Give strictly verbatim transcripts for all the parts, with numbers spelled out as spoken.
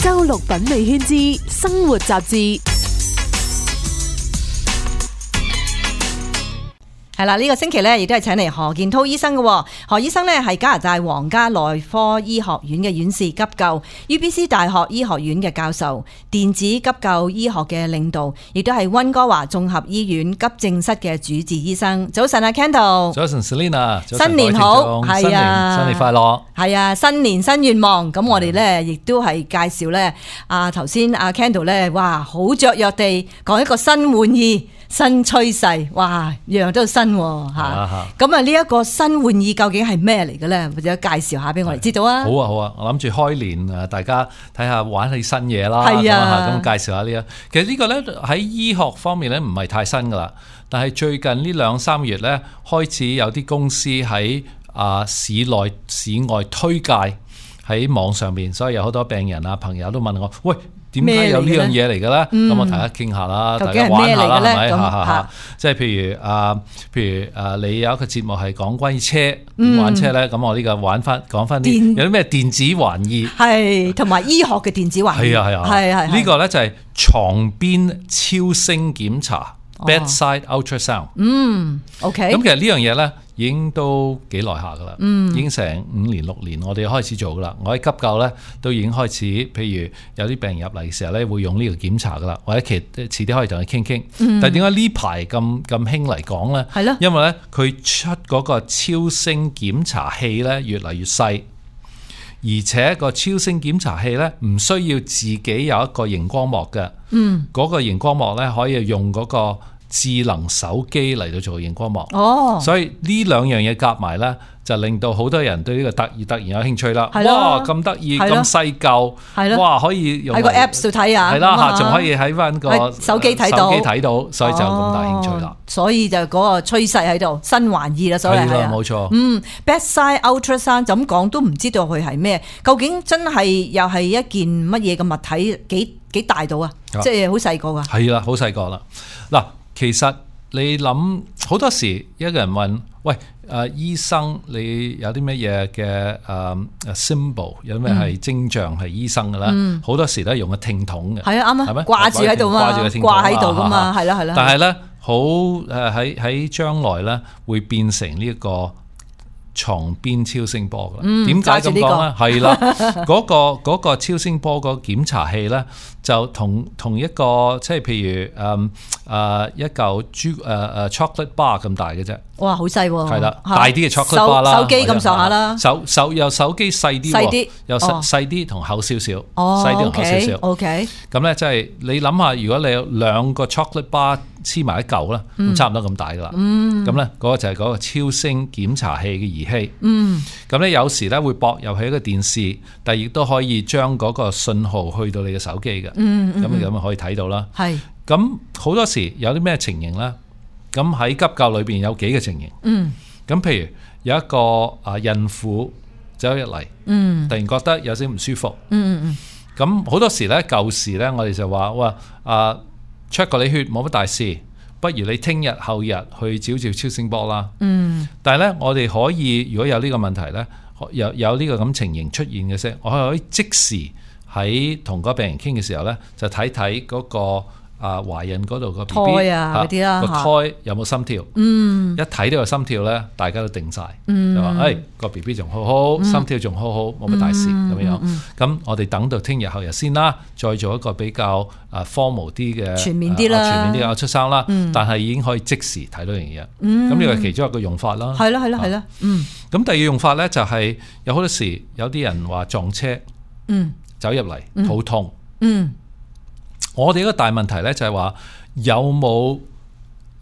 周六品味圈之生活雜誌。係啦，呢個星期咧，亦都係請嚟何建滔醫生嘅。何醫生咧係加拿大皇家內科醫學院嘅院士急救 ，U B C 大學醫學院嘅教授，電子急救醫學嘅領導，亦都係溫哥華綜合醫院急症室嘅主治醫生。早晨啊 ，Kendall。早晨 Selina。新年好，係啊，新年快樂。係啊，新年新願望。咁我哋咧亦都係介紹咧，啊頭先阿 Kendall 咧，哇，好雀躍地講一個新玩意。新趨勢，哇，樣樣都新喎嚇。咁啊，呢一個新玩意究竟係咩嚟嘅咧？或者介紹下俾我哋知道啊。好啊，好啊，我諗住開年啊，大家睇下玩起新嘢啦。係啊，咁介紹下呢一。其實呢個咧喺醫學方面咧唔係太新噶啦，但係最近呢兩三月咧開始有啲公司喺啊市內市外推介喺網上面，所以有好多病人啊朋友都問我，喂，點解有呢樣嘢嚟嘅咧？咁、嗯、我大家傾下啦，大家玩下啦，係咪？嚇嚇嚇！即係譬如啊，譬如啊，你有一個節目係講關於車點玩車咧，咁、嗯、我呢個玩翻講翻啲有啲咩電子玩意，係同埋醫學嘅電子玩意，係啊係啊，係係呢個咧就係床邊超聲檢查、哦、bedside ultrasound。嗯 ，OK。咁其實呢樣嘢咧已經都幾耐下噶啦，已經成五年六年，我哋開始做噶啦。我喺急救咧都已經開始，譬如有啲病人入嚟嘅時候咧，會用呢個檢查噶啦，或者其遲啲可以同佢傾傾。但係點解呢排咁咁興嚟講咧？係咯，因為咧佢出嗰個超聲檢查器咧越嚟越細，而且個超聲檢查器咧唔需要自己有一個熒光幕嘅，嗯，嗰個熒光幕咧可以用嗰個智能手機嚟到做熒光幕，哦，所以呢兩樣嘢夾埋咧，就令到好多人對呢個突然突然有興趣啦。哇，咁得意，咁細嚿，哇，可以用喺個 Apps 度睇啊，係啦嚇，仲可以喺翻個手機睇到，手機睇到，所以就咁大興趣啦。所以就嗰個趨勢喺度，新玩意啦，所以係啊，冇錯。嗯 ，bedside ultrasound 就咁講都唔知道佢係咩，究竟真係又係一件乜嘢嘅物體？幾幾大到啊？即係好細個㗎。係啦，好細個啦。嗱。其實你諗好多時，一個人問：喂，誒、呃、醫生，你有啲乜嘢嘅誒 symbol， 有咩係徵象係醫生嘅咧？好、嗯、多時都係用個聽筒嘅。係啊，啱啊，係咪掛住喺度嘛？掛喺度噶嘛？係啦，係啦。但係咧，好誒喺喺將來咧，會變成呢一個床邊超聲波嘅。點解咁講咧？係啦，嗰、嗰個嗰個超聲波個檢查器咧，就同同一個即係譬如誒誒、嗯呃、一嚿朱誒誒 chocolate bar 咁大嘅啫。哇，好細喎！係啦，大啲嘅 chocolate bar 啦，手機咁上下啦。手手又手機細啲，細啲又細細啲同厚少少，細啲同厚少少。OK。咁咧即係你諗下，如果你有兩個 chocolate bar 黐埋一嚿啦，咁差唔多咁大噶啦。嗯。咁咧嗰個就係嗰個超聲檢查器嘅儀器。嗯。咁咧有時咧會駁入去一個電視，但係亦都可以將嗰個信號去到你嘅手機嘅。嗯嗯。咁咁啊可以睇到啦。係。咁好多時有啲咩情形咧？咁喺急救裏邊有幾個情形。嗯。咁譬如有一個啊孕婦走入嚟，嗯，突然覺得有少少唔舒服。嗯嗯。咁好多時咧舊時咧，我哋就話哇啊 check 過你血冇乜大事，不如你聽日後日去照照超聲波啦。嗯。但係咧，我哋可以如果有呢個問題咧，有有呢個咁情形出現嘅時，我可以即時喺同嗰個病人傾嘅時候咧，就睇睇嗰個。啊，懷孕嗰度個 B B 啊，嗰啲啦，個胎有冇心跳？嗯，一睇到個心跳咧，大家都定晒，嗯、就話誒個 B B 仲好好，嗯、心跳仲好好，冇乜大事咁樣。咁、嗯嗯、我哋等到聽日後日先啦，再做一個比較啊 formal 啲嘅全面啲啦，啊、全面啲嘅出生啦。嗯、但係已經可以即時睇到樣嘢。咁呢個係其中一個用法啦。係啦，係啦，係啦。嗯。咁第二用法咧就係有好多時有啲人話撞車，嗯，走入嚟肚痛，嗯。嗯我哋一個大問題咧就係話有冇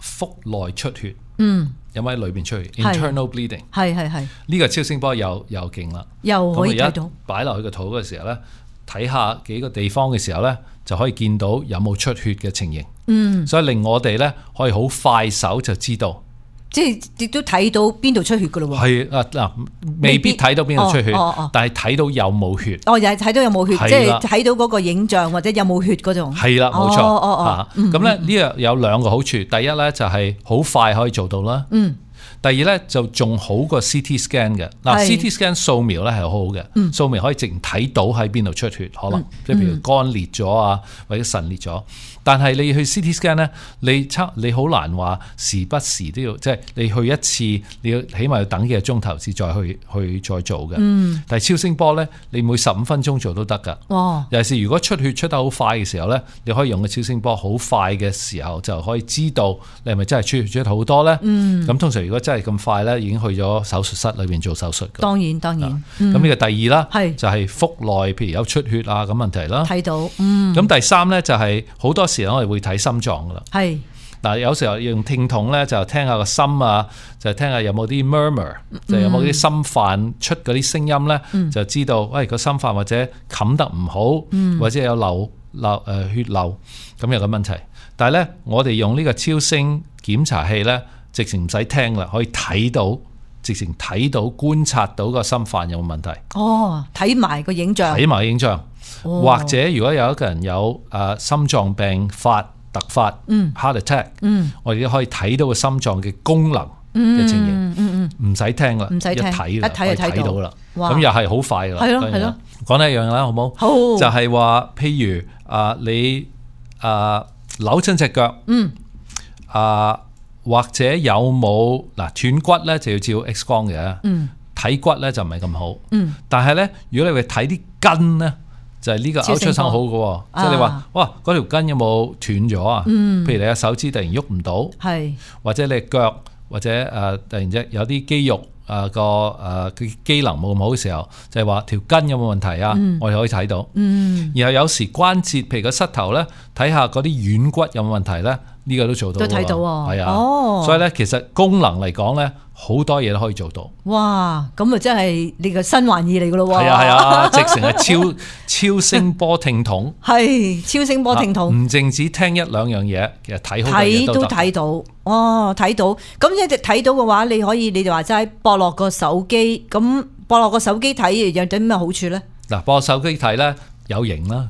腹內出血？嗯，有冇喺裏邊出血 ？Internal bleeding 係係係呢個超聲波又又勁啦，又可以睇到。擺落去個肚嘅時候咧，睇下幾個地方嘅時候咧，就可以見到有冇出血嘅情形。嗯，所以令我哋咧可以好快手就知道。即係亦都睇到邊度出血噶咯喎，係啊嗱，未必睇到邊度出血，哦哦哦、但係睇到有冇血。哦，又係睇到有冇血，即係睇到嗰個影像或者有冇血嗰種。係啦，冇錯。咁咧呢個有兩個好處，第一咧就係好快可以做到啦。嗯。第二咧就仲好過 C T scan 嘅。嗱 C T scan 掃描咧係好好嘅，嗯、掃描可以直接睇到喺邊度出血，可能即係、嗯、譬如肝裂咗啊，或者腎裂咗。但係你去 C T scan 咧，你測你好難話時不時都要，即係你去一次，你要起碼要等幾個鐘頭先再去去再做嘅。嗯、但係超聲波咧，你每十五分鐘做都得㗎。哇！尤其是如果出血出得好快嘅時候咧，你可以用個超聲波好快嘅時候就可以知道你係咪真係出血出得好多咧。咁、嗯、通常如果真係咁快咧，已經去咗手術室裏邊做手術㗎。當然當然。咁呢、嗯、個第二啦，是就係腹內譬如有出血啊咁問題啦。睇到。咁、嗯、第三咧就係好多時我哋會睇心臟噶啦。係嗱，有時候用聽筒咧就聽下個心啊，就聽下有冇啲 murmur，、嗯、就有冇啲心瓣出嗰啲聲音咧，嗯、就知道喂個心瓣或者冚得唔好，嗯、或者有漏漏誒血漏咁有個問題。但係咧，我哋用呢個超聲檢查器咧，直情唔使聽啦，可以睇到，直情睇到觀察到個心瓣有冇問題。哦，睇埋個影像，睇埋影像。哦、或者如果有一個人有誒、呃、心臟病發突發、嗯、heart attack，、嗯、我哋都可以睇到個心臟嘅功能嘅情形，唔使、嗯嗯、聽啦，唔使聽，一睇啦，一睇就睇到啦。咁又係好快噶啦，係咯係咯。講呢一樣啦，好冇？好，就係話，譬如啊、呃，你啊、呃、扭親隻腳，嗯啊、呃，或者有冇嗱斷骨咧，就要照 X 光嘅，嗯，睇骨咧就唔係咁好，嗯，但係咧，如果你去睇啲筋咧。就係呢個 ultrasound 好嘅，即係你話哇嗰條筋有冇斷咗啊？嗯、譬如你嘅手指突然喐唔到，是或者你嘅腳或者誒、呃、突然之有啲肌肉誒個誒機能冇咁好嘅時候，就係、是、話條筋有冇問題啊？嗯、我哋可以睇到。嗯、然後有時關節譬如個膝頭咧，睇下嗰啲軟骨有冇問題咧，呢、這個都做到。都睇到喎，係啊，哦、所以咧其實功能嚟講咧。好多嘢都可以做到。哇！咁啊，真係你個新玩意嚟噶咯喎。係啊係啊，直成係超超聲波聽筒。係超聲波聽筒。唔淨止聽一兩樣嘢，其實睇好多嘢都得。睇都睇到。哦，睇到。咁一直睇到嘅話，你可以你就話齋駁落個手機，咁駁落個手機睇有啲咩好處咧？嗱，駁手機睇咧。有型啦，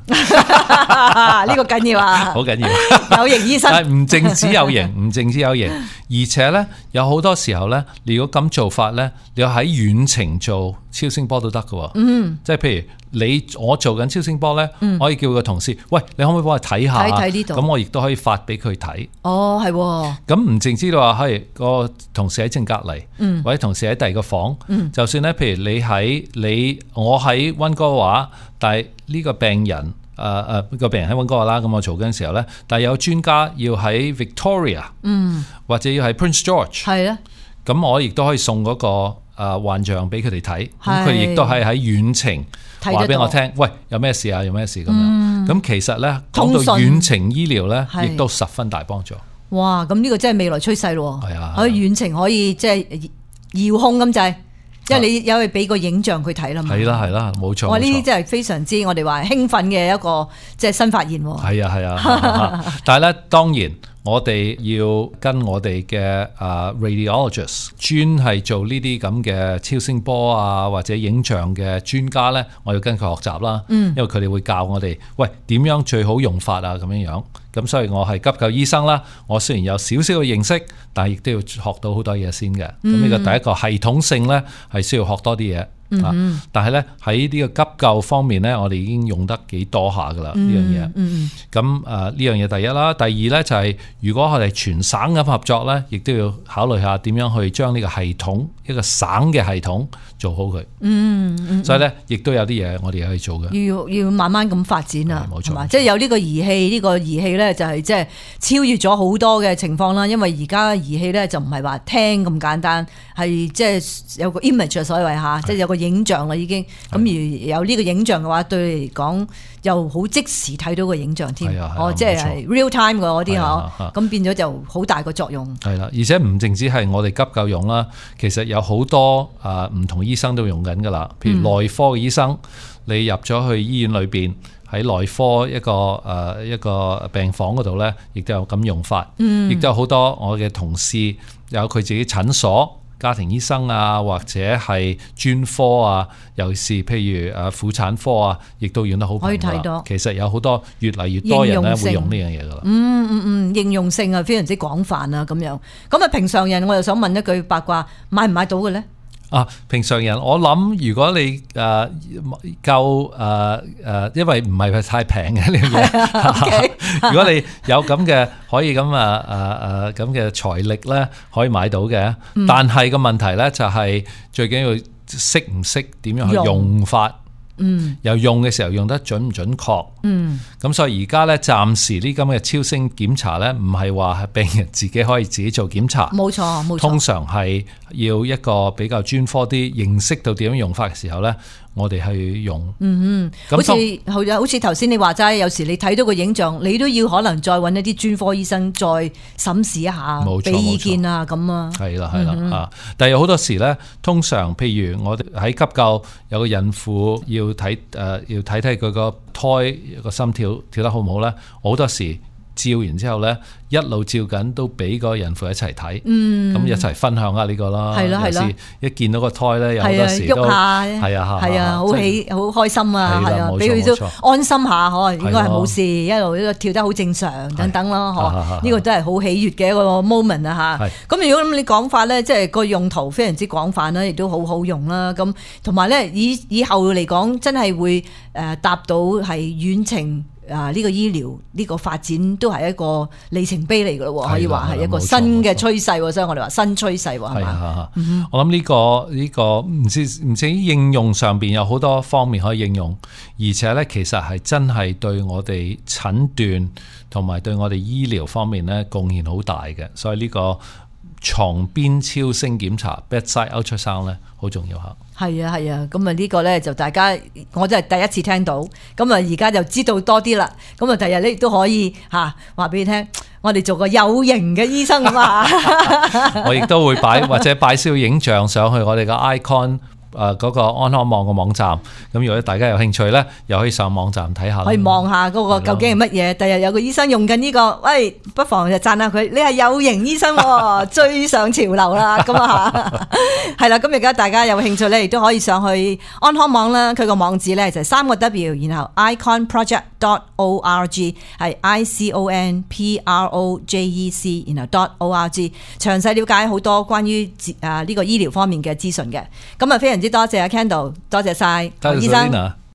呢個緊要啊，好緊要。有型醫生，但係唔淨止有型，唔淨止有型，而且咧有好多時候咧，你如果咁做法咧，你要喺遠程做超聲波都得㗎。嗯，即係譬如你我做緊超聲波咧，嗯、我可以叫個同事，喂，你可唔可以幫我睇下？睇睇呢度。咁我亦都可以發俾佢睇。哦，係。咁唔淨知道話，係個同事喺正隔離，嗯、或者同事喺第二個房，嗯、就算咧，譬如你喺你我喺溫哥華，但係呢個病人，誒誒個病人喺溫哥華啦，咁我做緊嘅時候咧，但係有專家要喺 Victoria，嗯，或者要喺 Prince George，係啊，咁我亦都可以送嗰個誒幻象俾佢哋睇，咁佢哋亦都係喺遠程話俾我聽，喂，有咩事啊？有咩事咁樣？咁、嗯、其實咧講到遠程醫療咧，亦都十分大幫助。哇！咁呢個真係未來趨勢咯，係啊，可以遠程可以即係遙控咁滯。因為你有去俾個影像佢睇啦嘛，係啦係啦，冇錯。哇！呢啲真係非常之我哋話興奮嘅一個即係新發現。係啊係啊，但係咧當然我哋要跟我哋嘅啊 radiologist 專係做呢啲咁嘅超聲波啊或者影像嘅專家咧，我要跟佢學習啦。嗯，因為佢哋會教我哋，喂，點樣最好用法啊咁樣樣。咁所以我係急救醫生啦，我雖然有少少嘅認識，但係亦都要學到好多嘢先嘅。咁呢個第一個系統性咧係需要學多啲嘢。嗯嗯，但係咧喺呢個急救方面咧，我哋已經用得幾多下噶啦呢樣嘢。嗯，咁誒呢樣嘢第一啦，第二咧就係如果我哋全省咁合作咧，亦都要考慮下點樣去將呢個系統一個省嘅系統做好佢。嗯嗯，所以咧亦都有啲嘢我哋可以做嘅。要要慢慢咁發展啊，冇錯，係，即係有呢個儀器，呢個儀器咧就係即係超越咗好多嘅情況啦。因為而家儀器咧就唔係話聽咁簡單，係即係有個 image 所謂嚇，即係有個影像啦已經。咁而有呢個影像嘅話，對你嚟講又好即時睇到個影像添。哦，即係 real time 嘅嗰啲嗬，咁變咗就好大個作用。係啦，而且唔淨止係我哋急救用啦，其實有好多啊唔同醫生都用緊噶啦。譬如內科嘅醫生，嗯、你入咗去醫院裏邊喺內科一個誒一個病房嗰度咧，亦都有咁用法。嗯，亦都有好多我嘅同事有佢自己診所。家庭醫生啊，或者係專科啊，尤其是譬如誒婦產科啊，亦都用得好頻密啦。其實有好多越嚟越多人咧會用呢樣嘢噶啦。嗯嗯嗯，應用性啊非常之廣泛啊咁樣。咁啊平常人我又想問一句八卦，買唔買到嘅咧？啊，平常人我諗如果你誒、呃、夠誒誒，因為唔係太平嘅呢樣嘢。如果你有咁嘅可以咁啊誒誒咁嘅財力咧，可以買到嘅。嗯、但係個問題咧就係最緊要識唔識點樣去用法。嗯，又用嘅時候用得準唔準確？嗯，咁所以而家咧暫時呢咁嘅超聲檢查咧，唔係話係病人自己可以自己做檢查，冇錯冇錯，通常係要一個比較專科啲，認識到點樣用法嘅時候咧，我哋去用。嗯嗯，好似好似頭先你話齋，有時你睇到個影像，你都要可能再揾一啲專科醫生再審視一下，俾意見啊咁啊。係啦係啦啊！但係有好多時咧，通常譬如我哋喺急救有個孕婦要睇誒、呃，要睇睇佢個胎個心跳跳得好唔好咧，好多時照完之後咧，一路照緊都俾個孕婦一齊睇，咁、嗯、一齊分享下呢個啦。係咯係咯，一見到個胎咧，有好多時都係啊係啊，好喜好開心啊，係啊，俾佢都安心下，可應該係冇事，一路呢個跳得好正常等等咯，嗬，呢個都係好喜悅嘅一個 moment 啊嚇。咁如果咁你講法咧，即係個用途非常之廣泛啦，亦都好好用啦。咁同埋咧，以以後嚟講，真係會誒達到係遠程。啊！呢、這個醫療呢、這個發展都係一個里程碑嚟㗎咯，可以話係一個新嘅趨勢，所以我哋話新趨勢係嘛？我諗呢、這個呢、這個唔知唔知應用上邊有好多方面可以應用，而且咧其實係真係對我哋診斷同埋對我哋醫療方面咧貢獻好大嘅，所以呢個床邊超聲檢查 bedside ultrasound 咧好重要嚇。係啊係啊，咁啊呢個咧就大家我真係第一次聽到，咁啊而家就知道多啲啦。咁啊第日咧亦都可以嚇話俾你聽，我哋做個有型嘅醫生啊嘛。我亦都會擺或者擺少影像上去我哋嘅 icon。誒、呃、嗰、那個安康網嘅網站，咁如果大家有興趣咧，又可以上網站睇下，可以望下嗰個究竟係乜嘢。第日有個醫生用緊呢、這個，喂，不妨就讚下佢，你係有型醫生、哦，追上潮流啦，咁啊係啦。咁而家大家有興趣咧，亦都可以上去安康網啦。佢個網址咧就係三個 W， 然後 icon project dot org 係 I C O N P R O J E C， 然後 dot org 詳細了解好多關於誒呢個醫療方面嘅資訊嘅。咁啊非常之多謝阿 Kendall，多謝晒醫生。